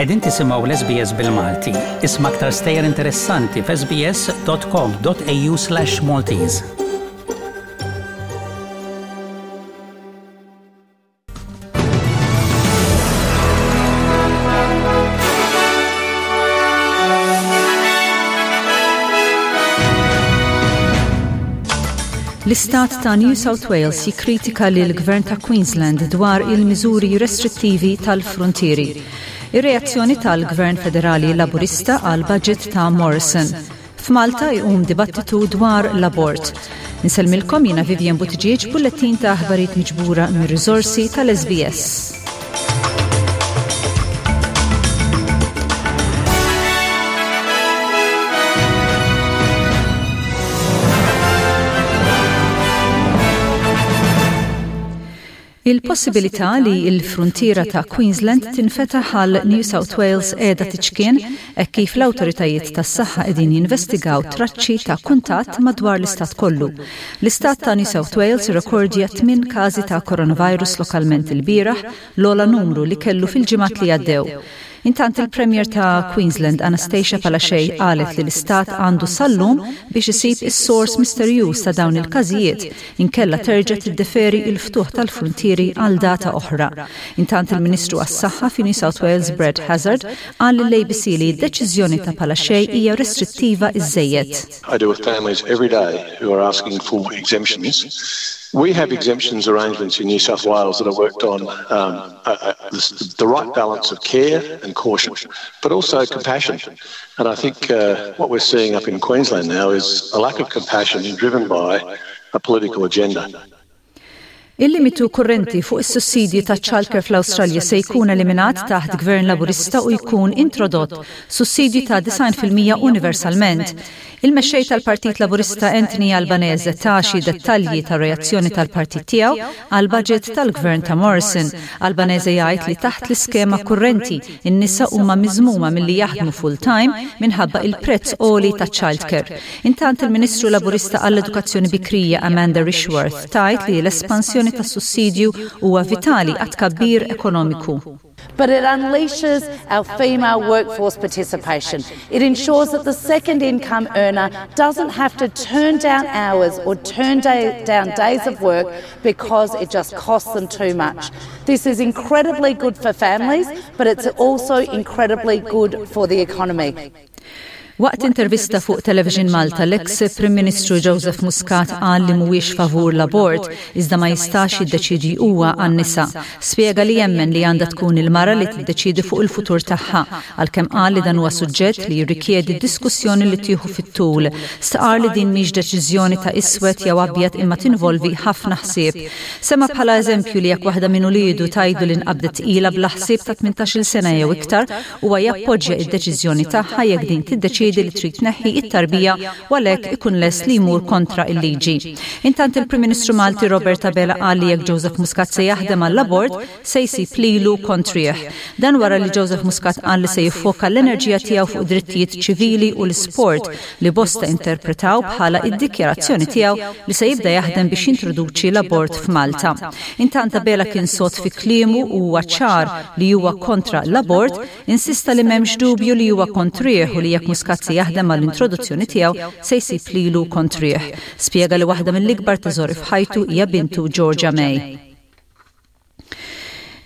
Qegħdin tisimgħu l-SBS bil-Malti. Isma' aktar stejjer interessanti f'sbs.com.au/Maltese. L-istat ta' New South Wales jikkritika lill-Gvern ta' Queensland dwar il-miżuri restrittivi tal-fruntieri. Ir-reazzjoni tal-Gvern Federali Laburista għall-budget ta' Morrison. F'Malta jqum dibattitu dwar l-abort. Insellmilkom jiena Vivian Buttigieg bullettin ta' aħbarijiet miġbura mir-riżorsi tal-SBS. Il-possibilità li l-fruntiera ta' Queensland tinfetaħ għal New South Wales qiegħda tiċkien hekk kif l-awtoritajiet tas-saħħa qegħdin jinvestigaw traċċi ta' kuntatt madwar l-istat kollu. L-istat ta' New South Wales irrekordja tminn każi ta' coronavirus lokalment ilbieraħ, l-ogħla numru li kellu fil-ġimgħat li għaddew. Intant il-Premier ta' Queensland Anastasia Palaszczuk qalet li l-istat għandu sal-lum biex isib is-sors misterjuż ta' dawn il-każijiet inkella terġa' tiddeferi l-ftuħ tal-fruntieri għal data oħra. Intant il-Ministru għas-Saħħa fi New South Wales Brad Hazzard qal lill-ABC li d-deċiżjoni ta' Palaszczuk hija restrittiva iżżejjed. I deal with families every day who are asking for exemptions. We have exemptions arrangements in New South Wales that are worked on um, uh, uh, the, the right balance of care and caution, but also compassion. And I think uh, what we're seeing up in Queensland now is a lack of compassion driven by a political agenda. Il-limitu kurrenti fuq is-sussidji taċ-childcare fl-Awstralja se jkun eliminat taħt Gvern Laburista u jkun introdott sussidju ta' 90% universalment. Il-Mexxej tal-Partit Laburista Anthony Albanese ta xi dettalji tar-reazzjoni tal-partit tiegħu għall-budget tal-Gvern ta' Morrison. Albanese jgħid li taħt l-iskema kurrenti, in-nisa huma miżmuma milli jaħdmu full-time minħabba il-prezz għoli taċ-childcare. Intant il-Ministru Laburista għall-Edukazzjoni Bikrija Amanda Rishworth tgħid li l-espansjoni tas-sussidju huwa vitali għat-tkabbir ekonomiku. But it unleashes our female workforce participation. It ensures that the second income earner doesn't have to turn down hours or turn day, down days of work because it just costs them too much. This is incredibly good for families, but it's also incredibly good for the economy. Waqt intervista fuq Television Malta, l-eks Prim Ministru Joseph Muscat qal li mhuwiex favur l-abort, iżda ma jistax jiddeċiedi huwa għan-nisa. Spjega li jemmen li għandha tkun il-mara li tiddeċiedi fuq il-futur tagħha, għalkemm qal li dan huwa suġġett li jirrikjedi diskussjoni li tieħu fit-tul. Stqarr li din mhix deċiżjoni ta' iswed jew abjad imma tinvolvi ħafna ħsieb. Semma bħala eżempju li jekk waħda minn uliedu tgħidlu li nqabdet tqila bla ħsieb ta' 18-il sena jew iktar, Huwa jappoġġja id-deċiżjoni tagħha jekk din tiddeċiedi li trid tneħħi it-tarbija u għalhekk ikun lest li jmur kontra il-liġi. Intant il-Prim Ministru Malti Robert Abela qal li jekk Joseph Muscat se jaħdem għall-abort, se jsib lilu kontrih. Dan wara li Joseph Muscat qal li se jiffoka l-enerġija tiegħu fuq drittijiet ċivili u l-isport li bosta interpretaw bħala id-dikjarazzjoni tiegħu li se jibda jaħdem biex jintroduċi l-abort f'Malta. Intant Abela kien sod fi kliemu u huwa ċar li huwa kontra l-abort, insista li m'hemmx dubju li huwa kontrih u li jekk Muscat se jaħdem għall-introduzzjoni tiegħu se jsib lilu kontrih. Spjega li waħda mill-ikbar teżori f'ħajtu hija bintu Georgia May.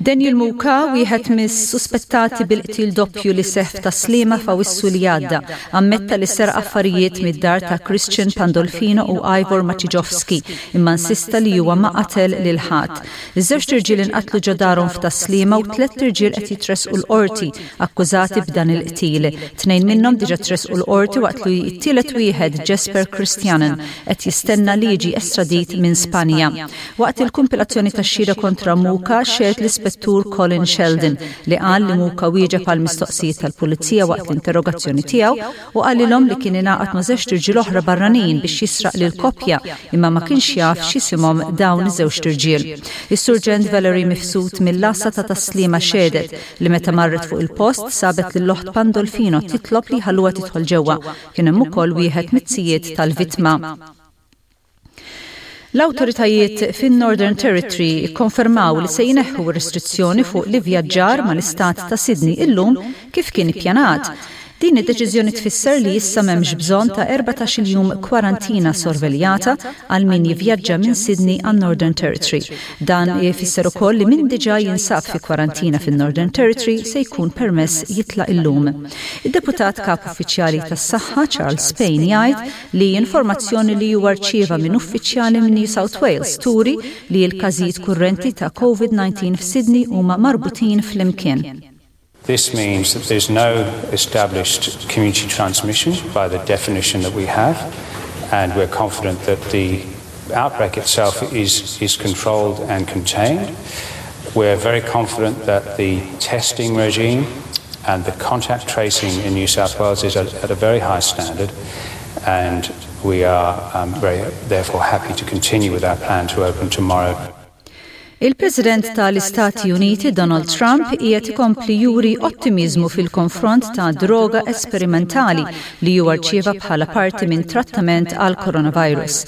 Daniel Muka, wieħed mis-suspettati bil-qtil doppju li seħħ f'Tas-Sliema f'Awwissu li għadda, ammetta li seraq affarijiet mid-dar ta' Christian Pandolfino u Ivor Maciejowski, imma insista li huwa ma qatel lil ħadd. Iż-żewġt irġiel inqatlu ġo darhom f'Tas-Sliema u tlett irġiel qed jitressqu l-Qorti akkużati b'dan il-qtil. Tnejn minnhom diġà tressqu l-Qorti waqt li t-tielet wieħed, Jesper Christianen, qed jistenna li jiġi estradit minn Spanja. Waqt il-kumpilazzjoni tax-xhieda kontra Muka xehed l-Ispettur Colin Sheldon li qal li Muka wieġeb għall-mistoqsijiet tal-Pulizija waqt l-interrogazzjoni tiegħu u qalilhom li kien ingħaqad ma' żewġt irġiel oħra barranin biex jisraq lill-koppja imma ma kienx jaf x'isimhom dawn iż-żewġt irġiel. Is-Surġent Valerie Mifsud mill-Għassa ta' Tas-Sliema xehdet li meta marret fuq il-post sabet lill-oħt Pandolfino titlob li jħalluha tidħol ġewwa. Kien hemm ukoll wieħed miz-zijiet tal-vittma. L-awtoritajiet fin-Northern Territory ikkonfermaw li se jneħħu r-restrizzjoni fuq l-ivvjaġġar mal-istat ta' Sydney illum kif kien ippjanat. Din id-deċiżjoni tfisser li issa m'hemmx bżonn ta' 14-il jum kwarantina sorveljata għal min jivvjaġġa minn Sydney għan-Northern Territory. Dan ifisser ukoll li min diġà jinsab fi kwarantina fin-Northern Territory se jkun permess jitlaq illum. Id-Deputat Kap Uffiċjali tas-Saħħa Charles Payne jgħid li informazzjoni li huwa rċieva minn uffiċjali minn New South Wales turi li l-każijiet kurrenti ta' Covid-19 f'Sydney huma marbutin flimkien. This means that there's no established community transmission by the definition that we have, and we're confident that the outbreak itself is, is controlled and contained. We're very confident that the testing regime and the contact tracing in New South Wales is at, at a very high standard, and we are um, very, therefore happy to continue with our plan to open tomorrow. Il-President tal-Istati Uniti Donald Trump qiegħed ikompli juri ottimiżmu fil-konfront ta' droga esperimentali li huwa rċieva bħala parti minn trattament għal coronavirus.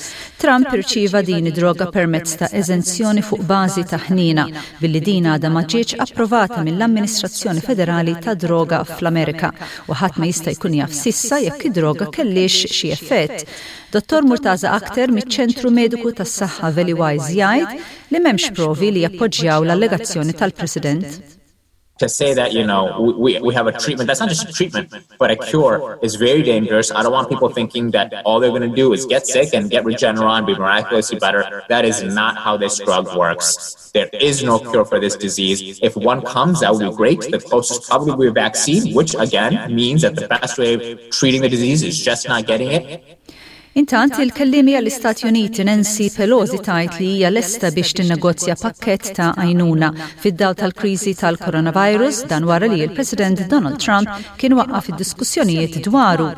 Trump irċieva din id-droga permezz ta' eżenzjoni fuq bażi ta' ħniena, billi din għadha ma ġietx approvata mill-Amministrazzjoni Federali tad-Droga fl-Amerika u ħadd ma jista' jkun jaf s'issa jekk id-droga kellhiex xi effett. Dottor Murtaza Akhter miċ-Ċentru Mediku tas-Saħħa Valleywise jgħid li m'hemmx provi li jappoġġjaw l-allegazzjoni tal-President. To say that, you know, we, we have a treatment that's not just a treatment, but a cure is very dangerous. I don't want people thinking that all they're going to do is get sick and get Regeneron, be miraculously better. That is not how this drug works. There is no cure for this disease. If one comes, that would be great. The closest probably would be a vaccine, which again means that the best way of treating the disease is just not getting it. Intant, il-kelliemi għall-Istati Uniti Nancy Pelosi tgħid li hija lesta biex tinnegozja pakkett ta' għajnuna fid-dawl tal-kriżi tal-coronavirus, dan wara li l-President Donald Trump kien waqqaf id-diskussjonijiet dwaru.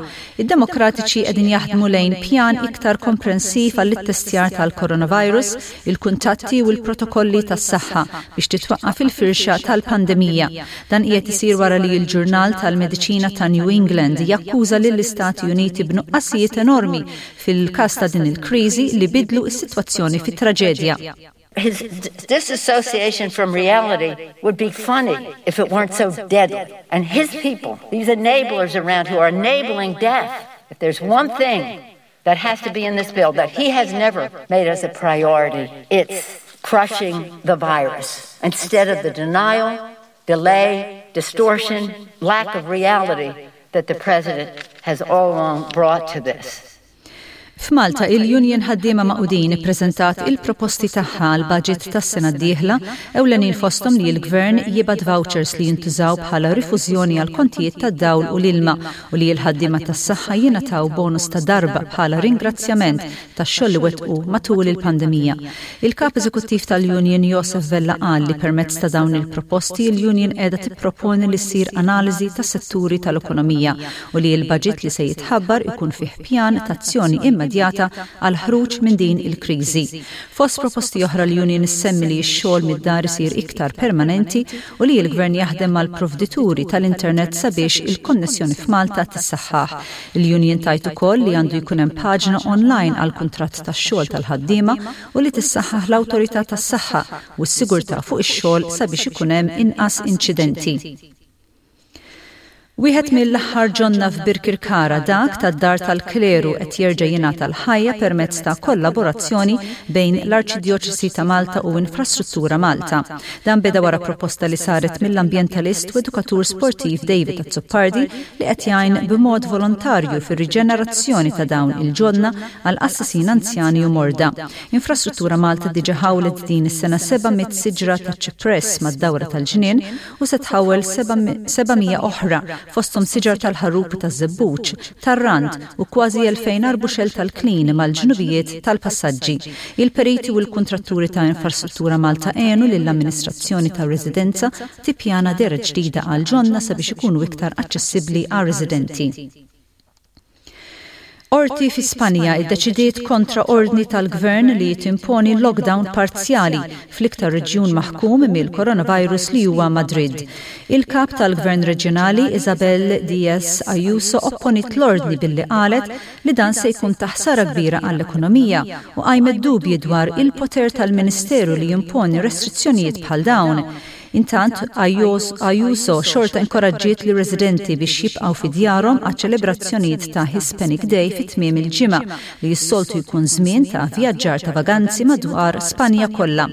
Id-Demokratiċi qegħdin jaħdmu lejn pjan iktar komprensiv għall-ittestjar tal-coronavirus, il-kuntatti u l-protokolli tas-saħħa biex titwaqqaf il-firxa tal-pandemija. Dan qiegħed isir wara li l-ġurnal tal-mediċina ta' New England jakkuża lill-Istati Uniti b'nuqqasijiet enormi fil-każ ta' din il-kriżi li bidlu s-sitwazzjoni fi traġedja. His disassociation from reality would be funny if it weren't so deadly. And his people, these enablers around who are enabling death, if there's one thing that has to be in this bill that he has never made as a priority, it's crushing the virus instead of the denial, delay, distortion, lack of reality that the president has all along brought to this. F'Malta, il-Union Ħaddiema Magħqudin ippreżentat il-proposti tagħha għall-budget tas-sena d-dieħla, ewlenin fosthom li l-Gvern jibgħat vouchers li jintużaw bħala rifużjoni għall-kontijiet tad-dawl u l-ilma u li l-ħaddiema tas-saħħa jingħataw bonus ta' darba bħala ringrazzjament tax-xogħol li wettqu matul il-pandemija. Il-Kap Eżekuttiv tal-Union Josef Vella qal li permezz ta' dawn il-proposti l-Union qiegħda tipproponi li ssir analiżi tas-setturi tal-ekonomija u li l-baġit li se jitħabbar ikun fih pjan t'azzjoni immedjata għall-ħruġ minn din il-kriżi. Fost proposti oħra l-Union issemmi li x-xogħol mid-dar isir iktar permanenti u li l-Gvern jaħdem mal-provdituri tal-internet sabiex il-konnessjoni f'Malta tissaħħaħ. Il-Union tgħid ukoll li għandu jkun hemm paġna online għall-kuntratt tax-xogħol tal-ħaddiema u li tissaħħaħ l-Awtorità tas-Saħħa u s-Sigurtà fuq ix-xogħol sabiex ikun hemm inqas inċidenti. Wieħed mill-aħħar ġonna f'Birkirkara, dak tad-Dar tal-Kleru qed jerġa' jingħata l-ħajja permezz ta' kollaborazzjoni bejn l-Arċidjoċesi ta' Malta u Infrastruttura Malta. Dan beda wara proposta li saret mill-ambjentalist u edukatur sportiv David Azzopardi li qed jgħin b'mod volontarju fir-riġenerazzjoni ta' dawn il-ġonna għal qassisin anzjani u morda. Infrastruttura Malta diġa ħawlet din is-sena 700 siġra ta' ċipress mad-dawra tal-ġnien u se tħawwel 700 oħra, fosthom siġar tal-ħarrub u taż-żebbuġ, tar-rand u kważi 2,000 arbuxell tal-klin mal-ġnubijiet tal-passaġġi. Il-periti u l-kuntratturi ta' Infrastruttura Malta għenu lill-amministrazzjoni tar-residenza tippjana dehra ġdida għall-ġonna sabiex ikunu iktar aċċessibbli għar-residenti. Qorti fi Spanja ddeċidiet kontra ordni tal-Gvern li timponi lockdown parzjali fl-iktar reġjun maħkum mill-coronavirus li huwa Madrid. Il-Kap tal-Gvern reġjonali Isabel Diaz Ayuso opponiet l-ordni billi qalet li dan se jkun ta' ħsara kbira għall-ekonomija u qajmet dubji dwar il-poter tal-Ministeru li jimponi restrizzjonijiet bħal dawn. Intant, Ayuso xorta inkoraġġiet lir-residenti biex jibqgħu fi djarhom għaċ-ċelebrazzjonijiet ta' Hispanic Day fi tmiem il-ġimgħa, li s-soltu jkun żmien ta' vjaġġar ta' vaganzi madwar Spanja kollha.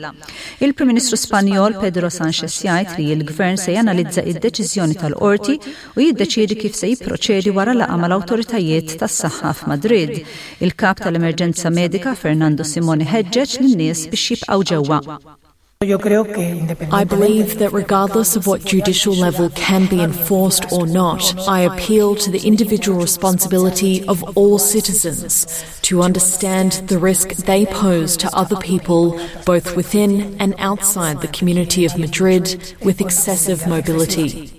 Il-Prim Ministru Spanjol Pedro Sanchez jgħid li l-Gvern se janalizza id-deċiżjoni tal-Qorti u jiddeċiedi kif se jipproċedi wara laqgħa mal-awtoritajiet tas-saħħa f'Madrid. Il-Kap tal-Emerġenza Medika Fernando Simón iħeġġeġ lin-nies biex jibqgħu ġewwa. I believe that regardless of what judicial level can be enforced or not, I appeal to the individual responsibility of all citizens to understand the risk they pose to other people both within and outside the community of Madrid with excessive mobility.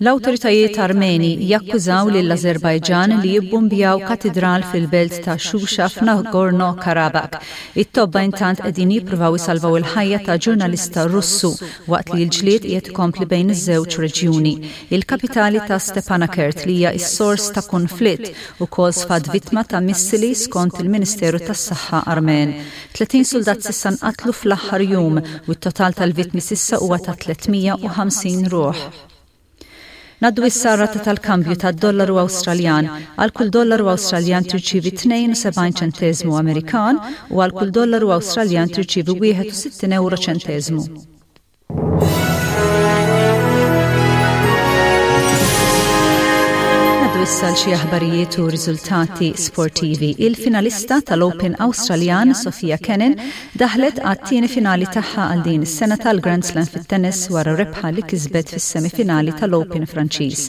L-awtoritajiet Armeni jakkużaw lill-Ażerbajġan li jibbumbjaw katidral fil-belt ta' Shusha f'Nagorno-Karabakh. It-tobba intant qegħdin jippruvaw isalvaw il-ħajja ta' ġurnalista Russu waqt li l-ġlied qiegħed ikompli bejn iż-żewġ reġjuni. Il-kapitali ta' Stepanakert li hija s-sors ta' kunflitt ukoll sfat vittma ta' missili skont il-Ministeru tas-Saħħa Armen. 30 suldat s'issa nqatlu fl-aħħar jum u t-total tal-vittmi s'issa huwa ta' 350 ruħ. Ngħaddu issa għar-rata tal-kambju tad-dollaru Awstraljan. Għal kull dollaru Awstraljan tirċievi 72 ċenteżmu Amerikan u għal kull dollaru Awstraljan tirċievi 61 ewro ċenteżmu. Ngħaddu issa għal xi aħbarijiet u riżultati sportivi. Il-finalista tal-Open Awstraljan, Sofia Kenin, Daħlet għat-tieni finali tagħha għal din is-sena tal-Grand Slam fit-tennis wara rebħa li kisbet fis-semifinali tal-Open Franċiż.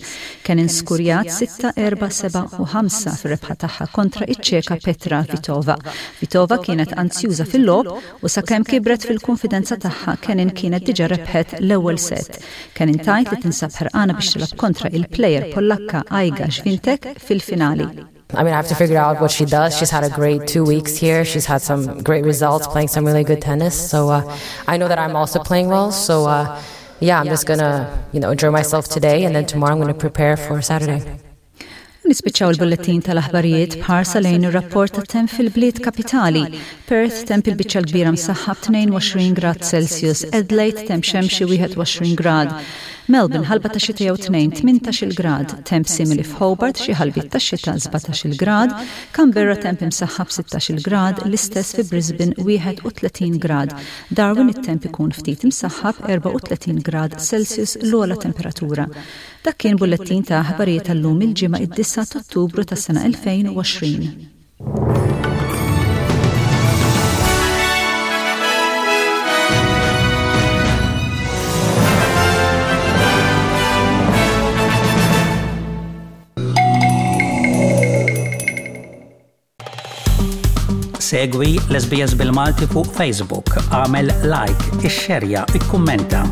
Kenin skurjat sitta, erba', sebgħa u ħamsa fir-rebħa tagħha kontra iċ-Ċeka Petra Kvitova. Kvitova kienet anzjuża fil-logħob u sakemm kibret fil-kunfidenza tagħha Kenin kienet diġà rebħet l-ewwel set. Kenin tgħid li tinsab ħerqana biex tilgħab kontra il-plejer Pollakka Iga Swiatek fil-finali. I mean, I have to figure out what she does. She's had a great two weeks here. She's had some great results playing some really good tennis. So uh, I know that I'm also playing well. So uh, yeah, I'm just gonna, you know, enjoy myself today and then tomorrow I'm gonna prepare for Saturday. Nispiċċaw il-bullettin tal-aħbarijiet b'ħarsa lejn ir-rapport ta' temp fil-bliet kapitali. Perth temp il-biċċa l-kbira msaħħab 22 grad Celsius, Adelaide temp xemxi 21 grad, Melbourne, ħalba ta' xita jew tnejn, 18-il grad, temp simili f'Hobart, xi ħalbiet ta' xita, 17-il grad, Canberra temp imsaħħab 16-il grad, l-istess fi Brisbane 31 grad, Darwin it-temp ikun ftit imsaħħab 34 grad Celsius l-ogħla temperatura. Dak kien bullettin ta' aħbarijiet tal-lum il-Ġimgħa id-disgħa t'Ottubru tas-sena 2020. Segwi l-SBS bil-Malti fuq Facebook, għamel like, ixxerja, ikkummenta.